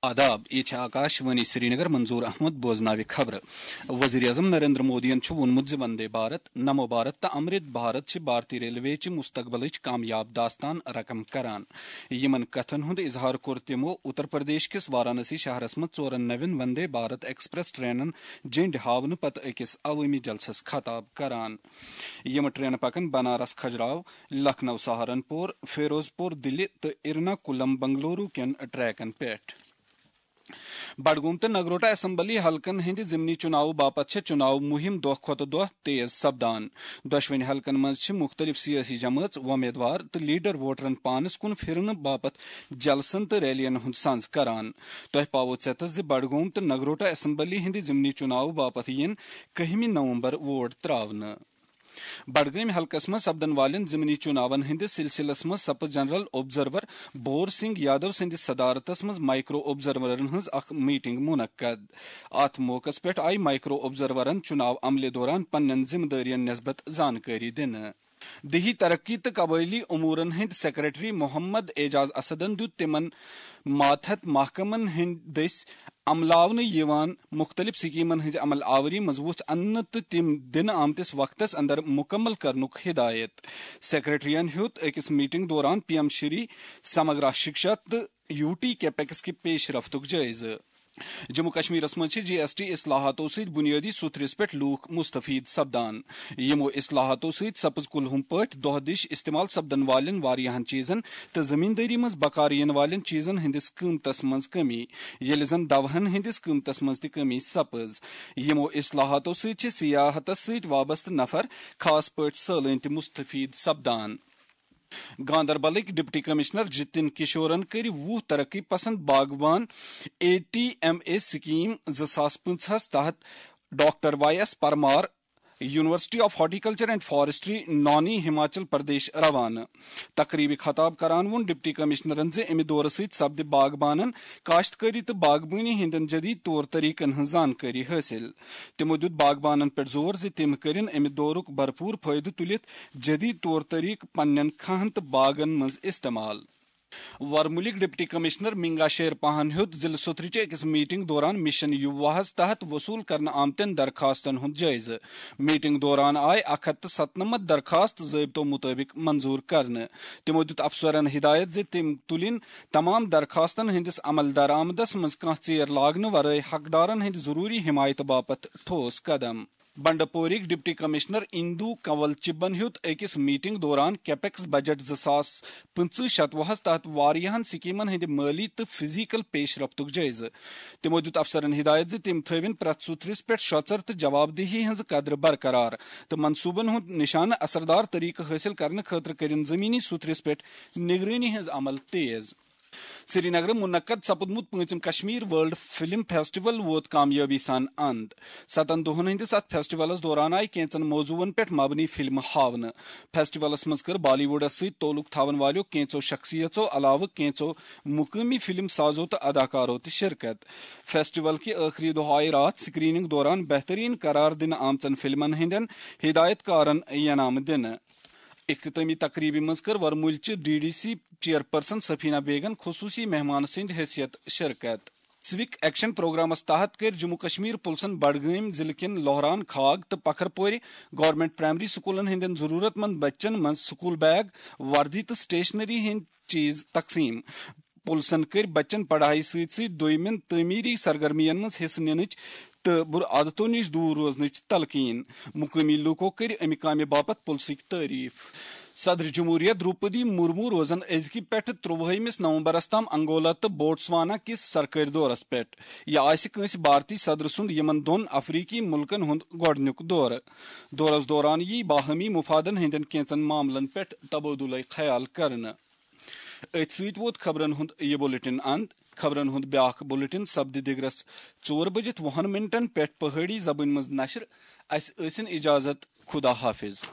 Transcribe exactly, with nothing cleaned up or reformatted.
آداب، یہ چھِ آکاش وانی سرینگر، منظور احمد بوزناوِ خبرٕ۔ وزیر اعظم نریندر مودیَن چھُ ووٚنمُت زِ وندے بھارت، نمو بھارت تہٕ امرت بھارت چھِ بھارتی ریلوے چہِ مستقبلٕچ کامیاب داستان رقم کران۔ یِمن کتھن ہُنٛد اظہار کوٚر تِمو اتر پردیش کِس وارانسی شہرس منٛز ژورن نوٮ۪ن وندے بھارت ایکسپریس ٹرینن جنڈ ہاونہٕ پتہٕ أکِس عوٲمی جلسس خطاب کران۔ یِم ٹرینہٕ پکن بنارس کھجراو، لکھنؤ سہارنپور، فیروز پور دِلہِ تہٕ ایرناکولم بنگلورو کٮ۪ن ٹریکن پٮ۪ٹھ۔ بڈگوم تہٕ نگروٹا اسمبلی حلقن ہٕنٛدِ ضمنی چُناوٕ باپتھ چھےٚ چُناو مُہِم دۄہ کھۄتہٕ دۄہ تیز سپدان۔ دۄشوٕنی حلقن منٛز چھِ مُختٔلِف سیٲسی جمٲژ، وۄمیدوار تہٕ لیڈر ووٹرن پانس کُن پھرنہٕ باپتھ جلسن تہٕ ریلین ہُنٛد سنز کران۔ تۄہہِ پاوو ژیتس زِ بڈگوم تہٕ نگروٹا اسمبلی ہٕنٛدِ ضمنی چُناوٕ باپتھ یِن کٔہمہِ نومبر ووٹ تراونہٕ۔ بڈگٲمۍ حلقس منٛز سپدن والٮ۪ن ضمنی چُناون ہٕنٛدِس سلسلس منٛز سپٕز جنرل آبزرور بھور سنگھ یادو سٕنٛدِس صدارتس منٛز مائیکرو آبزرورن ہٕنٛز اکھ میٹنگ منعقد۔ اتھ موقعس پٮ۪ٹھ آیہِ مائیکرو آبزرورن چُناو عملہِ دوران پننٮ۪ن ذمہٕ دٲرین نسبت زانکٲری دِنہٕ۔ دیہی ترقی تہٕ قبٲئلی امورن ہٕنٛدۍ سیکرٹری محمد اعجاز اسدن دیُت تِمن ماتحت محکمن ہٕنٛدۍ دٔسۍ عملاونہٕ یِوان مُختٔلِف سکیمن ہٕنٛزِ عمل آوری منٛز وُژھ اننہٕ تہٕ تِم دِنہٕ آمتِس وقتس اندر مُکمل کرنُک ہدایت۔ سیکرٹریَن ہیوٚت أکِس میٹنگ دوران پی ایم شری سمگرا شکشا تہٕ یو ٹی کیپیکس کہِ پیش رفتُک جٲیزٕ۔ جموں کشمیرس منٛز چھِ جی ایس ٹی اصلاحاتو سۭتۍ بنیٲدی سُتھرِس پٮ۪ٹھ لوٗکھ مستفید سپدان۔ یِمو اصلاحاتو سۭتۍ سپٕز کُلہُم پٲٹھۍ دۄہ دِش استعمال سپدن والٮ۪ن واریاہن چیزن تہٕ زمیندٲری منٛز بکار یِنہٕ والٮ۪ن چیزن ہٕنٛدِس قۭمتس منٛز کمی، ییٚلہِ زن دوہن ہٕنٛدِس قۭمتس منٛز تہِ کمی سپٕز۔ یِمو اصلاحاتو سۭتۍ چھِ سیاحتس سۭتۍ وابستہٕ نفر، خاص پٲٹھۍ سٲلٲنۍ تہِ مستفید سپدان۔ گاندربلٕکۍ ڈپٹی کمشنر جتن کشورن کٔرۍ وُہ ترقی پسند باغبان A T M A scheme زٕ ساس پٕنٛژٕہس تحت doctor Y S Parmar, university of horticulture and forestry, Nauni, Himachal Pradesh روانہٕ۔ تقریبہِ خطاب کران ووٚن ڈپٹی کمشنرن زِ امہِ دورٕ سۭتۍ سپدِ باغبانن، کاشتکٲری تہٕ باغبٲنی ہٕنٛدٮ۪ن جدید طور طریقن ہٕنٛز زانکٲری حٲصِل۔ تِمو دیُت باغبانن پٮ۪ٹھ زور زِ تِم کٔرِن امہِ دورُک بھرپوٗر فٲیدٕ تُلِتھ جدید طور طریقہٕ پننٮ۪ن کھاہن تہٕ باغن منٛز استعمال۔ ورمُلٕکۍ ڈپٹی کمشنر منگا شیر پاہن ہیوٚت ضلع سوتھرٕچہِ أکِس میٹنگ دوران مشن یوواہس تحت وصول کرنہٕ آمتٮ۪ن درخواستن ہُنٛد جٲیزٕ۔ میٹنگ دوران آیہِ اکھ ہتھ تہٕ ستنمتھ درخواست ضٲبطو مُطٲبِق منظور کرنہٕ۔ تِمو دیُت افسرن ہدایت زِ تِم تُلِن تمام درخواستن ہٕنٛدِس عمل درآمدس منٛز کانٛہہ ژیر لاگنہٕ ورٲے حقدارن ہٕنٛدِ ضروٗری حمایتہٕ باپتھ ٹھوس قدم۔ بنڈپورٕکۍ ڈپٹی کمشنر اندو کنول چبن ہیوٚت أکِس میٹنگ دوران کیپیکس بجٹ زٕ ساس پٕنٛژٕہ شتوُہس تحت واریاہن سکیمن ہٕنٛدِ مٲلی تہٕ فزیکل پیش رفتُک جٲیزٕ۔ تِمو دیُت افسرن ہدایت زِ تِم تھٲوِن پرٛٮ۪تھ سُتھرِس پٮ۪ٹھ شۄژر تہٕ جوابدہی ہٕنٛز قدر برقرار تہٕ منصوٗبن ہُنٛد نشانہٕ اثردار طریقہٕ حٲصِل کرنہٕ خٲطرٕ کٔرِن زمینی سُتھرِس پٮ۪ٹھ نگرٲنی ہٕنٛز عمل تیز۔ سرینگرٕ منعقد سپُدمُت پوٗنٛژِم کشمیر ورلڈ فلم فیسٹیول ووت کامیٲبی سان اند۔ ستن دۄہن ہٕنٛدِس اتھ فیسٹیولس دوران آیہِ کینژن موضوعن پٮ۪ٹھ مبنی فلمہٕ ہاونہٕ۔ فیسٹیولس منٛز کٔر بالی ووڈس سۭتۍ تعلق تھاون والیو کینژو شخصیژو علاوٕ کینژو مقٲمی فلم سازو تہٕ اداکارو تہِ شرکت۔ فیسٹیول کہِ ٲخری دۄہ آیہِ راتھ سکریننگ دوران بہترین قرار دِنہٕ آمژن فلمن ہٕنٛدٮ۪ن ہدایت کارن انعام دِنہٕ۔ اختتٲمی تقریبہِ منٛز کٔر ورمُلچہِ ڈی ڈی سی چیئرپرسن سفینہ بیگن خصوصی مہمان سٕنٛدِ حیثیت شرکت۔ سوک ایکشن پروگرامس تحت کٔرۍ جموں کشمیر پُلسن بڈگٲمۍ ضلعہٕ کٮ۪ن لوہران کھاگ تہٕ پکھرپورِ گورنمنٹ پرائمری سکولن ہٕنٛدٮ۪ن ضروٗرت مند بچن منٛز سکول بیگ، وردی تہٕ سٹیشنری ہٕنٛدۍ چیز تقسیٖم۔ پُلسن کٔرۍ بچن پڑھایہِ سۭتۍ سۭتۍ دوٚیمٮ۪ن تعمیٖری سرگرمین منٛز حصہٕ نِنٕچ تہٕ بُرٕ عادتو نِش دوٗر روزنٕچ تلقین۔ مقٲمی لوٗکو کٔرۍ امہِ کامہِ باپتھ پُلسٕکۍ تعریف۔ صدر جمہوریہ دروپدی مرمو روزن أزکہِ پٮ۪ٹھٕ ترٛۆوُہمِس نومبرس تام انگولا تہٕ بوٹسوانا کِس سرکٲرۍ دورس پٮ۪ٹھ۔ یہِ آسہِ کٲنٛسہِ بھارتی صدر سُنٛد یِمن دۄن افریقی مُلکن ہُنٛد گۄڈٕنیُک دورٕ۔ دورس دوران یِیہِ باہمی مفادن ہٕنٛدٮ۪ن کینٛژن معاملن پٮ۪ٹھ تبادلہٕ خیال کرنہٕ۔ أتھۍ سۭتۍ ووت خبرن ہُنٛد یہِ بُلٹن اند۔ خبرن ہُنٛد بیٛاکھ بُلٹن سپدِ دِگرس ژور بٔجِتھ وُہن منٹن پٮ۪ٹھ پہٲڑی زبٲنۍ منٛز نشر۔ اسہِ ٲسِن اجازت۔ خدا حافظ۔